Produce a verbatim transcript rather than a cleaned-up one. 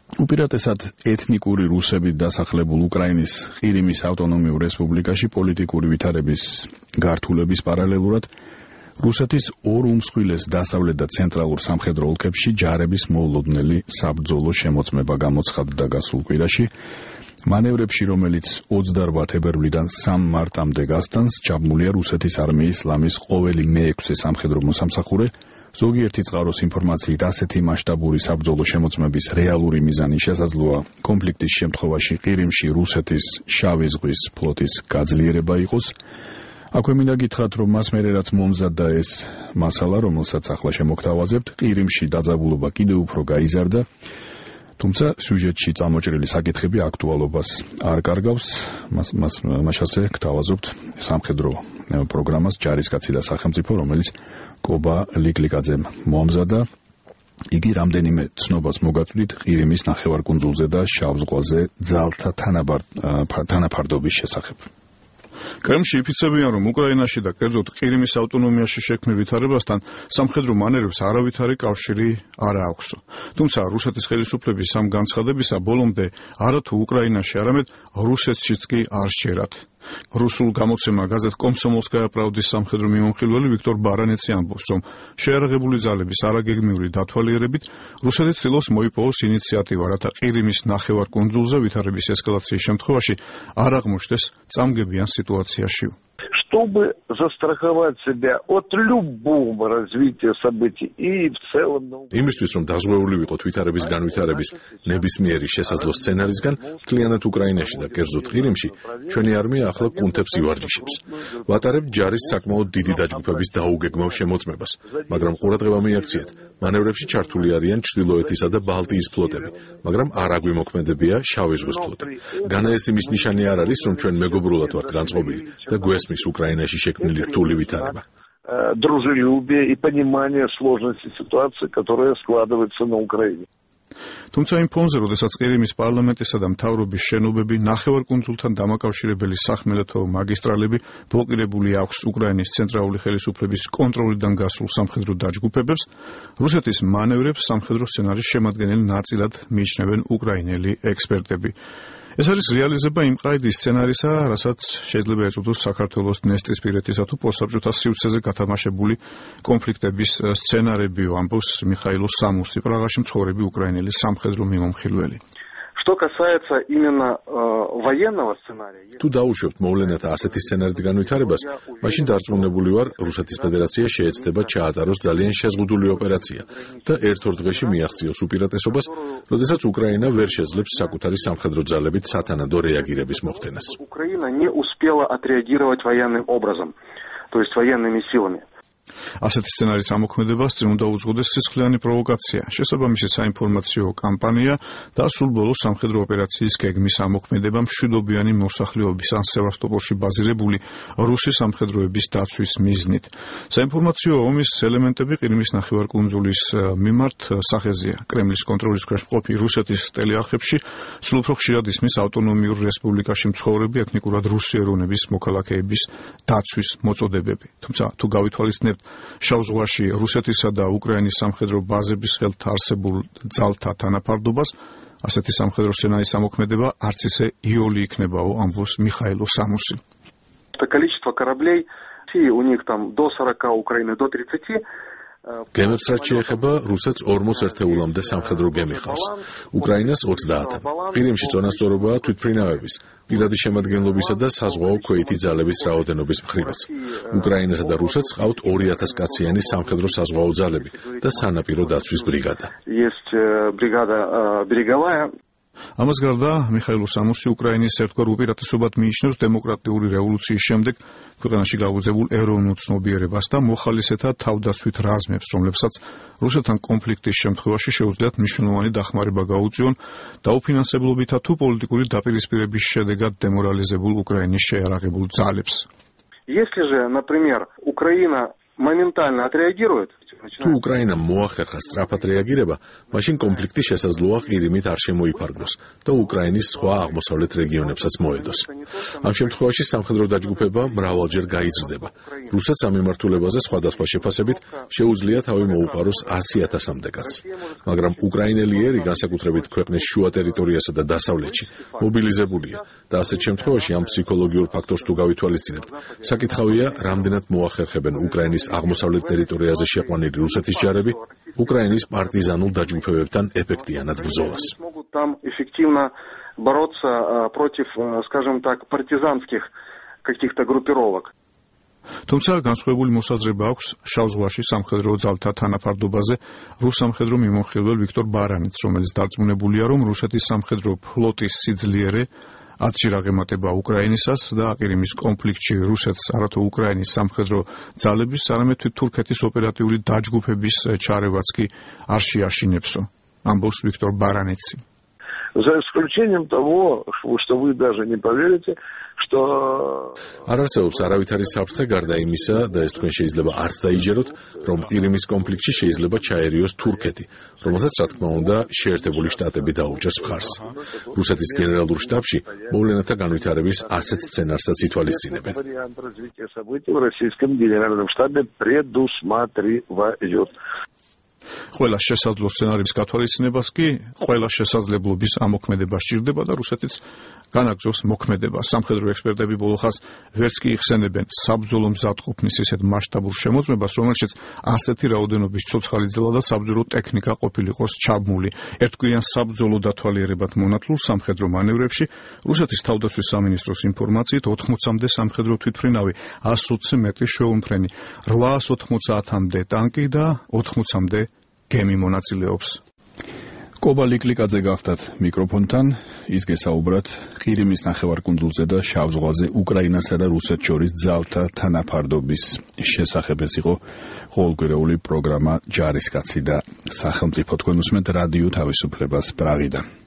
უპირატესად ეთნიკური რუსებით დასახლებულ უკრაინის ყირიმის ავტონომიურ რესპუბლიკაში პოლიტიკური ვითარების გართულების პარალელურად რუსეთის ორ უმსხვილეს დასავლეთ და ცენტრალურ სამხედრო ოლქებში ჯარების მოულოდნელი საბრძოლო შემოწმება გამოცხადდა გასულ კვირაში. მანევრებში, რომელიც ოცდაარბა თებერვლიდან სამი მარტამდე გასტანს, ჩაბმულია რუსეთის არმიის ლამის ყოველი მეექვსე სამხედრო მოსამსახურე. ზოგიერთი წყაროს ინფორმაციით ასეთი მასშტაბური საბრძოლო შემოწმების რეალური მიზანი შესაძლოა კონფლიქტის შემთხვევაში ყირიმში რუსეთის შავი ზღვის ფლოტის გაძლიერება იყოს. აქვე მინდა გითხრათ, რომ მას მერე რაც მომზადდა ეს მასალა, რომელსაც ახლა შემოგთავაზებთ, ყირიმში დაძაბულობა კიდევ უფრო გაიზარდა, თუმცა სიუჟეტში წამოჭრილი საკითხები აქტუალობას არ კარგავს. მას მას მასაზე გთავაზობთ სამხედრო პროგრამას ჯარისკაცი და სახელმწიფო, რომელიც კობა ლიკლიკაძემ მოამზადა. იგი რამდენიმე ცნობას მოგაწვდით ყირიმის ნახევარკუნძულზე და შავ ზღვაზე ძალთა თანაფარდობის შესახებ. კრემლში იფიცებიან, რომ უკრაინაში და კერძოდ ყირიმის ავტონომიაში შექმნილ ვითარებასთან სამხედრო მანევრებს არავითარი კავშირი არ აქვსო. თუმცა რუსეთის ხელისუფლების ამ განცხადებისა ბოლომდე არათუ უკრაინაში, არამედ რუსეთშიც კი არ შეერათ. რუსულ გამოცემა გაზეთ კომსომოლსკაია პრავდის სამხედრო მიმომხილველი ვიქტორ ბარანეცი ამბობს, რომ შეიარაღებული ძალების არაგეგმიური დათვალიერებით რუსეთი ცდილობს მოიპოვოს ინიციატივა, რათა ყირიმის ნახევარკუნძულზე ვითარების ესკალაციის შემთხვევაში არ აღმოჩნდეს წამგებიან სიტუაციაში. Чтобы застраховать себя от любого развития событий и в целом... იმისთვის, რომ დაზღვეული ვიყოთ ვითარების განვითარების ნებისმიერი შესაძლო სცენარისგან, მთლიანად უკრაინაში და კერძოდ ყირიმში, ჩვენი არმია ახლა კუნთებს ივარჯიშებს. ვატარებთ ჯარის საკმაოდ დიდი დაჯგუფების დაუგეგმავ შემოწმებას, მაგრამ ყურადღება მიაქციეთ, მანევრებში ჩართული არიან ჩრდილოეთისა და ბალტიის ფლოტები, მაგრამ არ აგვიმოქმედებია შავი ზღვის ფლოტი. განაეს იმის ნიშანი არ არის, რომ ჩვენ მეგობრულად ვართ განწყობილი და გვესმის უკრაინაში შექმნილი რთული ვითარება. Дружелюбие и понимание сложности ситуации, которая складывается на Украине. თუმცა იმ ფონზე, როდესაც ყირიმის პარლამენტისა და მთავრობის შენობები ნახევარკუნძულთან დამაკავშირებელი სახმელეთო მაგისტრალები ბლოკირებული აქვს უკრაინის ცენტრალური ხელისუფლების კონტროლიდან გასულ სამხედრო დაჯგუფებებს, რუსეთის მანევრებს სამხედრო სცენარის შემადგენელი ნაწილად მიიჩნევენ უკრაინელი ექსპერტები. ეს არის რეალიზება იმ ყაიდის სცენარისა, რასაც შეიძლება ეწოდოს საქართველოს დნესტრისპირეთისა თუ პოსტსაბჭოთა სივრცეზე გათამაშებული კონფლიქტების სცენარებიო, ამბობს მიხაილო სამუსი, პრაღაში მცხოვრები უკრაინელი სამხედრო მიმომხილველი. Что касается именно э, военного сценария... თუ დაუშვებთ მოვლენათა ასეთი სცენარით განვითარებას, მაშინ დარწმუნებული ვარ, რუსეთის ფედერაცია შეეცდება ჩაატაროს ძალიან შეზღუდული ოპერაცია და ერთ-ორ დღეში მიაღწიოს უპირატესობას, როდესაც უკრაინა ვერ შეძლებს საკუთარი სამხედრო ძალებით სათანადო რეაგირების მოხდენას. Украина не успела отреагировать военным образом, то есть военными силами. ასეთი სცენარის ამოქმედებას წინ უნდა უძღოდეს სისხლიანი პროვოკაცია, შესაბამისი საინფორმაციო კამპანია და სულ ბოლოს სამხედრო ოპერაციის გეგმის ამოქმედება მშვიდობიანი მოსახლეობის ან სევასტოპოლში ბაზირებული რუსი სამხედროების დაცვის მიზნით. საინფორმაციო ომის ელემენტები ყირიმის ნახევარკუნძულის მიმართ სახეზეა. კრემლის კონტროლის ქვეშ მყოფი რუსეთის ტელეარხებში სულ უფრო ხშირად ისმის ავტონომიურ რესპუბლიკაში მცხოვრები ეთნიკურად რუსი ეროვნების მოქალაქეების დაცვის მოწოდებები. თუმცა თუ გავითვალისწინებთ შავ ზღვაში რუსეთისა და უკრაინის სამხედრო ბაზების ხელთ არსებულ ძალთა თანაფარდობას, ასეთი სამხედრო სცენარის ამოქმედება არც ისე იოლი იქნებაო, ამბობს მიხაილო სამუსი. Количество кораблей, у них там до сорока, Украины до тридцати. გემებს რაც შეეხება, რუსეთს ორმოც ერთეულამდე სამხედრო გემი ყავს, უკრაინას ოცდაათი. ყირიმში წონასწორობაა თვითმფრინავების, პირადი შემადგენლობისა და საზღვაო ქვეითი ძალების რაოდენობის მხრივაც. უკრაინასა და რუსეთს ყავთ ორი ათას კაციანი სამხედრო საზღვაო ძალები და სანაპირო დაცვის ბრიგადა. Есть бригада береговая. ამას გარდა მიხაილო სამუსი უკრაინის ერთგვარ უპირატესობად მიიჩნევს დემოკრატიული რევოლუციის შემდეგ ქვეყანაში გაუზებულ ეროვნულ ცნობიერებას და მოხალისეთა თავდაცვით რაზმებს, რომლებსაც რუსეთთან კონფლიქტის შემთხვევაში შეუძლიათ მნიშვნელოვანი დახმარება გაუწიონ დაუფინანსებლობითა თუ პოლიტიკური დაპირისპირების შედეგად დემორალიზებულ უკრაინის შეიარაღებულ ძალებს. Если же, например, Украина моментально отреагирует, თუ უკრაინამ მოახერხა სწრაფად რეაგირება, მაშინ კონფლიქტი შესაძლოა ყირიმით არ შემოიფარგლოს და უკრაინის სხვა აღმოსავლეთ რეგიონებსაც მოედოს. ამ შემთხვევაში სამხედრო დაჯგუფება მრავალჯერ გაიზრდება. რუსეთს ამ მიმართულებაზე სხვადასხვა შეფასებით შეუძლია თავი მოუყაროს ასი ათასამდე კაცს. მაგრამ უკრაინელი ერი, განსაკუთრებით ქვეყნის შუა ტერიტორიასა და დასავლეთში, მობილიზებულია და ასეთ შემთხვევაში ამ ფსიქოლოგიურ ფაქტორს თუ გავითვალისწინებთ, საკითხავია, რამდენად მოახერხებენ უკრაინის აღმოსავლეთ ტერიტორიაზე შეყვანილი რუსეთის ჯარები უკრაინის პარტიზანულ დაჯგუფებებთან ეფექტიანად ბრძოლას. Там эффективно бороться против, скажем так, партизанских каких-то группировок. თუმცა განსხვავებული მოსაზრება აქვს შავ ზღვაში სამხედრო ძალთა თანაფარდობაზე რუს სამხედრო მიმოხილველ ვიქტორ ბარანიც, რომელიც დარწმუნებულია, რომ რუსეთის სამხედრო ფლოტის სიძლიერე ათში რაღემატება უკრაინისას და ყირიმის კონფლიქტში რუსეთს არათუ უკრაინის სამხედრო ძალების, არამედ თურქეთის ოპერატიული დაჯგუფების ჩარევაც კი არ შეაშინებსო. ამბობს ვიქტორ ბარანიცი. За исключением того, что вы даже не поверите, что არ არსებობს არავითარი საფრთხე გარდა იმისა და ეს თქვენ შეიძლება არც დაიჯეროთ, რომ ყირიმის კონფლიქტში შეიძლება ჩაერიოს თურქეთი, რომელსაც რა თქმა უნდა შეერთებული შტატები დაუჭერს მხარს. რუსეთის გენერალურ შტაბში მოვლენათა განვითარების ასეთ სცენარსაც ითვალისწინებენ. вариант развития событий в российском генеральном штабе предусматривают. ყველა შესაძლო სცენარის გათვალისწინებას კი ყველა შესაძლებლობის ამოქმედება სჭირდება და რუსეთიც განაგრძობს მოქმედებას. სამხედრო ექსპერტები ბოლო ხანს ვერც კი იხსენებენ საბრძოლო მზადყოფნის ისეთ მასშტაბურ შემოწმებას, რომელშიც ასეთი რაოდენობის ცოცხალი ძალა და საბრძოლო ტექნიკა ყოფილიყოს ჩაბმული. ერთგვიან საბრძოლო დათვალიერებად მონათლულ სამხედრო მანევრებში რუსეთის თავდაცვის სამინისტროს ინფორმაციით ოთხმოცამდე სამხედრო თვითმფრინავი, ას ოცი მეტრი შეუმფრენი, რვაას ოთხმოცამდე ტანკი და ოთხმოცამდე გემი მონაწილეობს. კობა ლიკლიკაძე გახდათ მიკროფონთან, ის გესაუბრათ ყირიმის ნახევარკუნძულზე და შავ ზღვაზე უკრაინასა და რუსეთს შორის ძალთა თანაფარდობის შესახებ. ეს იყო ყოველკვირეული პროგრამა ჯარისკაცი და სახელმწიფო. თქვენ უსმენთ რადიო თავისუფლებას პრაღიდან.